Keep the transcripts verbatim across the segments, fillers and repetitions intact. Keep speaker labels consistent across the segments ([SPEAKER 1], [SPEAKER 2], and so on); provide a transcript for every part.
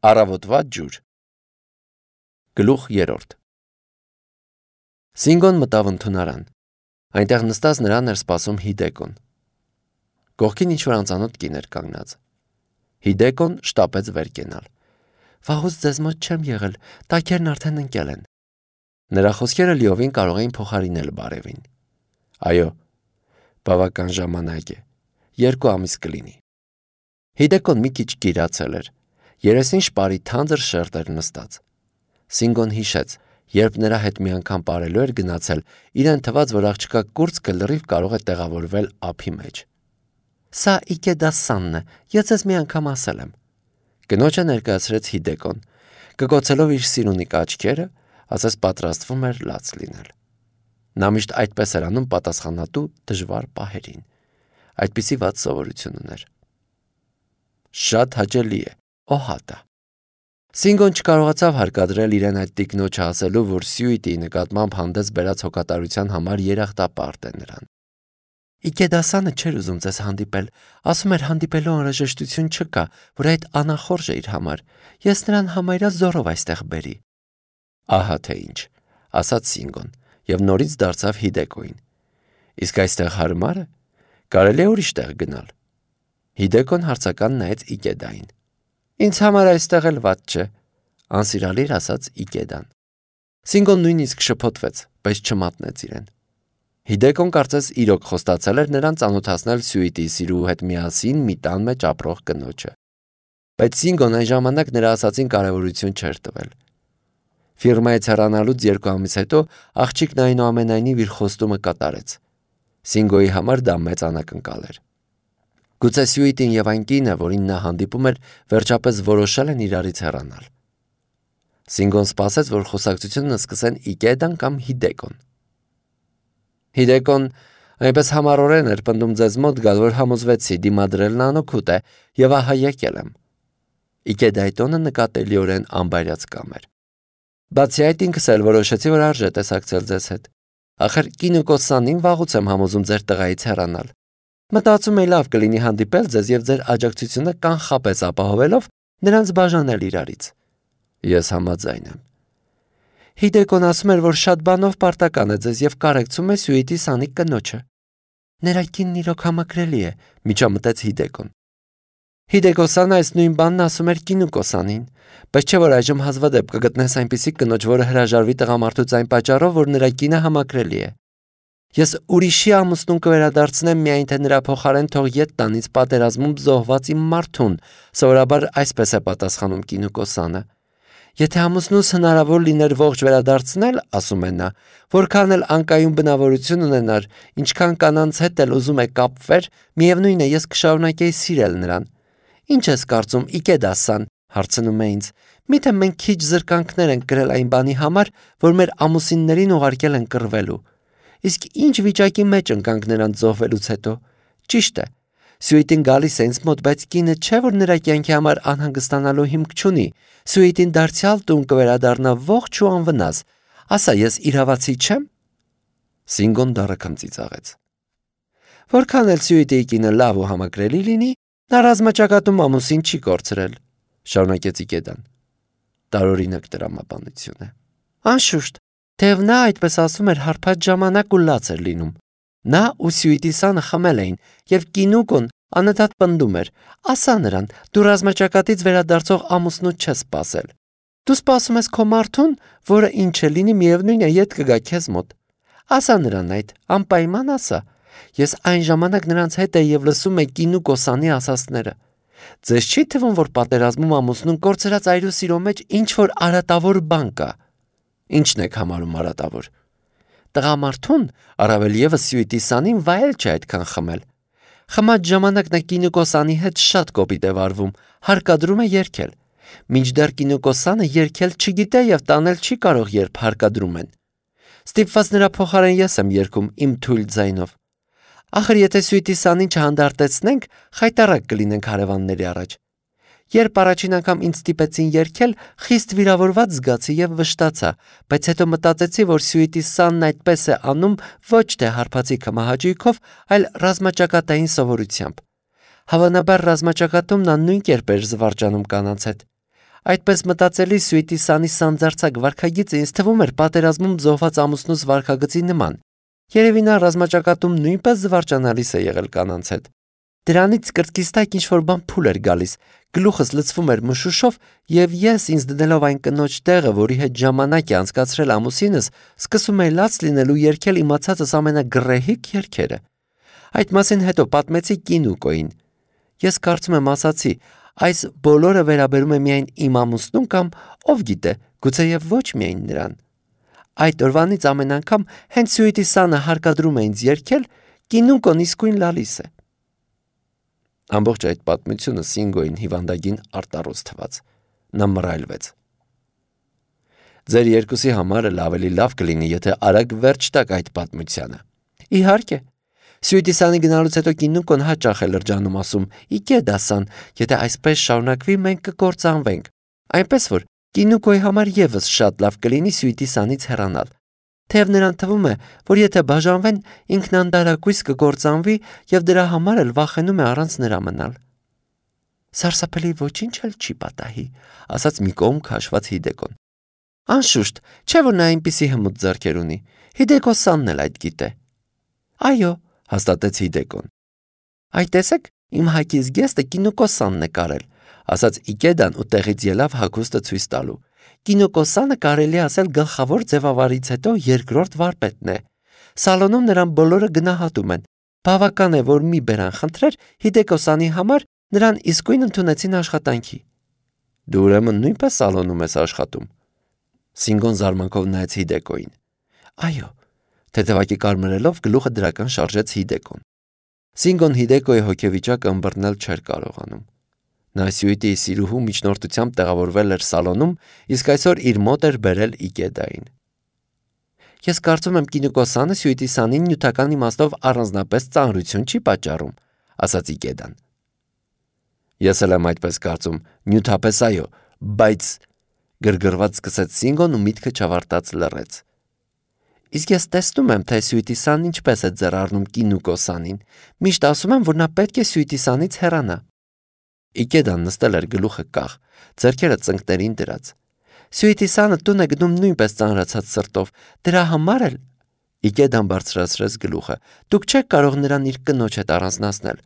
[SPEAKER 1] Առավոտվա ջուր։ Գլուխ երրորդ։ Սինգոն մտավ ընդունարան։ Այնտեղ նստած նրան էր սպասում Հիդեկոն։ Կողքին ինչ-որ անծանոթ կին էր կանգնած։ Հիդեկոն շտապեց վեր կենալ։ Վաղուց ձեզ մոտ չեմ եղել, տակերն արդեն ընկել են։ Նրա խոսքերը լիովին կարող էին փոխարինել բարևին։ Այո, բավական ժամանակ է, երկու ամիս կլինի։ Հիդեկոն մի քիչ գիրացել էր, երեսին շպարի թանձր շերտ էր նստած։ Սինգոն հիշեց, երբ նրա հետ մի անգամ պարելու էր գնացել, իրեն թվաց, որ աղջկա կուրծքը լրիվ կարող է տեղավորվել ափի մեջ։ Սա Իքեդասանն է, ես ձեզ մի անգամ ասել եմ։ Կնոջը ներկայացրեց Հիդեկոն, կկոցելով իր սիրունիկ աչքերը, ասես պատրաստվում էր լաց լինել։ Նա միշտ այդպես էր անում պատասխանատու դժվար պահերին։ Այդպիսի վատ սովորություն ուներ։ Շատ հաճելի է, օհատա։ Սինգոն չկարողացավ հարկադրել իրեն այդ տիկնոջը ասելու, որ Սյուիտի նկատմամբ հանդես բերած հոգատարության համար երախտապարտ է նրան։ Իքեդասանը չէր ուզում ձեզ հանդիպել, ասում էր հանդիպելու անհրաժեշտություն չկա, որ այդ անախորժ է իր համար, ես նրան համարյա զորով այստեղ բերի։ Ահա թե ինչ, ասաց Սինգոն, և նորից դարձավ Հիդեկոին։ Իսկ այստեղ հարմար է, կարելի է ուրիշ տեղ գնալ։ Հիդեկոն հարցական նայեց Իքեդային։ Ինձ համար այստեղ էլ վատ չէ, անսիրալիր ասաց Իքեդան։ Սինգոն նույնիսկ շփոթվեց, բայց չմատնեց իրեն։ Հիդեկոն կարծես իրոք խոստացել էր նրան ծանոթացնել Սյուիտի սիրուհու հետ միասին մի տան մեջ ապրող կնոջը։ Բայց Սինգոն այն ժամանակ նրա ասածին կարևորություն չէր տվել։ Ֆիրմայից հեռանալուց երկու ամիս հետո աղջիկն այնուամենայնիվ իր խոստումը կատարեց։ Սինգոյի համար դա մեծ անակնկալ էր։ Գուցե Սյուիտին և այն կինը, որին նա հանդիպում էր, վերջապես որոշել են իրարից հեռանալ։ Սինգոն սպասեց, որ խոսակցությունը սկսեն Իքեդան կամ Հիդեկոն։ Հիդեկոն այնպես համառորեն էր պնդում ձեզ մոտ գալ, որ համոզվեցի դիմադրելն անօգուտ է, և ահա եկել եմ։ Իքեդայի տոնը նկատելիորեն անբայրացկամ էր։ Բացի այդ ինքս էլ որոշեցի, որ արժե տեսակցել ձեզ հետ։ Ախր կինու կոսանին վաղուց եմ համոզում ձեր տղայից հեռանալ։ Մտածում էի լավ կլինի հանդիպել ձեզ և ձեր աջակցությունը կանխապես ապահովելով նրանց բաժանել իրարից։ Ես համաձայն եմ։ Հիդեկոն ասում էր, որ շատ բանով պարտական է ձեզ և կարեկցում է Սյուիտի սանիկ կնոջը։ Նրա կինն իրոք համակրելի է, միջամտեց Հիդեկոն։ Հիդեկոսանը այս նույն բանն ասում էր կինու կոսանին, բայց չէ որ այժմ հազվադեպ կգտնես այնպիսի կնոջ, որը հրաժարվի տղամարդուց այն պատճառով, որ նրա կինը համակրելի է։ Ես ուրիշի ամուսնուն կվերադարձնեմ միայն թե նրա փոխարեն թող ետ տանից պատերազմում զոհված իմ մարդուն, սովորաբար այսպես է պատասխանում կինու կոսանը։ Եթե ամուսնուս հնարավոր լիներ ողջ վերադարձնել, ասում է նա, որքան էլ անկայուն բնավորություն ունենար, ինչքան կանանց հետ էլ ուզում է կապվեր, միևնույն է ես կշարունակեի սիրել նրան։ Ինչ ես կարծում, Իքեդասան, հարցնում է ինձ, միթե մենք քիչ զրկանքներ ենք կրել այն բանի համար, որ մեր ամուսիններին ուղարկել են կռվելու։ Իսկ ինչ վիճակի մեջ ընկանք նրանց զոհվելուց հետո։ Ճիշտ է, Սյուիտին գալիս է ինձ մոտ, բայց կինը չէ, որ նրա կյանքի համար անհանգստանալու հիմք չունի։ Սյուիտին դարձյալ տուն կվերադառնա ողջ ու անվնաս։ Ասա, ես իրավացի չեմ։ Սինգոն դառը ծիծաղեց։ Որքան էլ Սյուիտիի կինը լավ ու համակրելի լինի, նա ռազմաճակատում ամուսին չի կորցրել, շարունակեց Իքեդան։ Տարօրինակ տրամաբանություն է։ Անշուշտ, թեև նա այդպես ասում էր հարբած ժամանակ ու լաց էր լինում։ Նա ու Սյուիտի սանը խմել էին, և կինուկոն անընդհատ պնդում էր. ասա նրան, դու ռազմաճակատից վերադարձող ամուսնու չես սպասել։ Դու սպասում ես քո մարդուն, որը ինչ է լինի, միևնույն է ետ կգա քեզ մոտ։ Ասա նրան այդ, անպայման ասա։ Ես այն ժամանակ նրանց հետ էի և լսում էի կինու կոսանի ասածները։ Ձեզ չի թվում, որ պատերազմում ամուսնուն կորցրած այրու սիրո մեջ ինչ-որ արատավոր բան կա։ Ինչն եք համարում արատավոր։ Տղամարդուն, առավել ևս Սյուիտի սանին վայել չէ այդքան խմել։ Խմած ժամանակ նա կինուկոսանի հետ շատ կոպիտ է վարվում, հարկադրում է երգել։ Մինչդեռ կինուկոսանը երգել չգիտե և տանել չի կարող, երբ հարկադրում են։ Ստիպված նրա փոխարեն ես եմ երգում իմ թույլ ձայնով։ Ախր եթե Սյուիտի սանին չհանդարտեցնենք, խայտառակ կլինենք հարևանների առաջ։ Երբ առաջին անգամ ինձ ստիպեցին երգել, խիստ վիրավորված զգացի և վշտացա, բայց հետո մտածեցի, որ Սյուիտի սանն այդպես է անում ոչ թե հարբածի կմահաճույքով, այլ ռազմաճակատային սովորությամբ։ Հավանաբար ռազմաճակատում նա նույն կերպ էր զվարճանում կանանց հետ։ Այդպես մտածելի Սուիտիսանի սանձարձակ վարքագիծը ինձ թվում էր պատերազմում զոհված ամուսնուս վարքագծի նման։ Երևի նա ռազմաճակատում նույնպես զվարճանալիս է եղել կանանց հետ։ Դրանից կրծքից տակ ինչ-որ բան փուլ էր գալիս, գլուխս լցվում էր մշուշով, եւ ես ինձ դնելով այն կնոջ տեղը, որի հետ ժամանակ է անցկացրել ամուսինս, սկսում էի լաց լինել ու երգել իմացածս ամենագրեհիկ երգերը։ Այդ մասին հետո պատմեցի Կինուկոին։ Ես կարծում եմ ասացի, այս բոլորը վերաբերում է միայն իմ ամուսնուն կամ ով գիտե, գուցեև ոչ միայն նրան։ Այդ օրվանից ամեն անգամ հենց Սուիտիսանը հարկադրում է ինձ երգել, Կինուկոն իսկույն լալիս է։ Ամբողջ այդ պատմությունը Սինգոին հիվանդագին արտառոց թվաց։ Նա մռայլվեց։ Ձեր երկուսի համար էլ ավելի լավ կլինի, եթե արագ վերջ տաք այդ պատմությանը։ Իհարկե։ Սուիտիսանի գնալուց հետո Կինուկոն հաճախ է լրջանում ասում. «Իգե դասան, եթե այսպես շարունակվի, մենք կկործանվենք»։ Այնպես որ Կինուկոյի համար եւս շատ լավ կլինի Սուիտիսանից հեռանալ։ Թեև նրան թվում է, որ եթե բաժանվեն, ինքն անդարակույս կկործանվի եւ դրա համար էլ վախենում է առանց նրա մնալ։ Սարսափելի ոչինչ էլ չի պատահի, ասաց մի կողմ քաշված Հիդեկոն։ Անշուշտ, չէ՞ որ նա այնպիսի հմուտ ձեռքեր ունի։ Հիդեկոսանն էլ այդ գիտե։ Այո, հաստատեց Հիդեկոն։ Այ տեսեք, իմ հակի զգեստը Կինուկոսանն է կարել, ասաց Իգեդան ու տեղից ելավ հագուստը ցույց տալու։ Կինուկոսանը կարելի ասել գլխավոր ձևավարից հետո երկրորդ վարպետն է։ Սալոնում նրան բոլորը գնահատում են։ Բավական է, որ մի բերան խնդրեր Հիդեկոսանի համար, նրան իսկույն ընդունեցին աշխատանքի։ Դու ուրեմն նույնպես սալոնում ես աշխատում։ Սինգոն զարմանքով նայեց Հիդեկոին։ Այո, թեթևակի կարմրելով գլուխը դրական շարժեց Հիդեկոն։ Սինգոն Հիդեկոյի հոգեվիճակը ըմբռնել չէր կարողանում։ Նա Սյուիտիի սիրուհու միջնորդությամբ տեղավորվել էր սալոնում, իսկ այսօր իր մոտ էր բերել Իգեդային։ Ես կարծում եմ Կինուկոսանը Սյուիտիսանին նյութական իմաստով առանձնապես ծանրություն չի պատճառում, ասաց Իգեդան։ Ես էլ եմ այդպես կարծում, նյութապես այո, բայց գրգռված սկսեց Սինգոն ու միտքը չավարտած լռեց։ Իսկ ես տեսնում եմ, թե Սյուիտիսանն ինչպես է ձեռ առնում Կինուկոսանին։ Միշտ ասում եմ, որ նա պետք է Սյուիտիսանից հեռանա։ Իգեդան նստել էր գլուխը կախ, ձեռքերը ծնկներին դրած։ Սյուիտիսանը տուն է գնում նույնպես ծանրացած սրտով, դրա համար էլ Իգեդան բարձրացրեց գլուխը։ Դուք չեք կարող նրան իր կնոջ հետ առանձնացնել։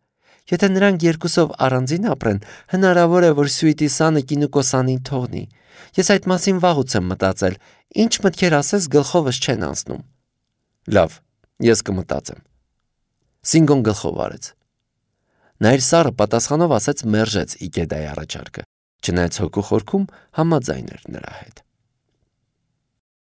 [SPEAKER 1] Եթե նրանք երկուսով առանձին ապրեն, հնարավոր է, որ Սյուիտիսանը Կինուկոսանին թողնի։ Ես այդ մասին վաղուց եմ մտածել, ինչ մտքեր ասես գլխովս չեն անցնում։ Լավ, ես կմտածեմ։ Սինգոն գլխով արեց։ Նա իր սառը պատասխանով ասեց մերժեց Իգեդայի առաջարկը, չնայած հոգու խորքում համաձայն էր նրա հետ։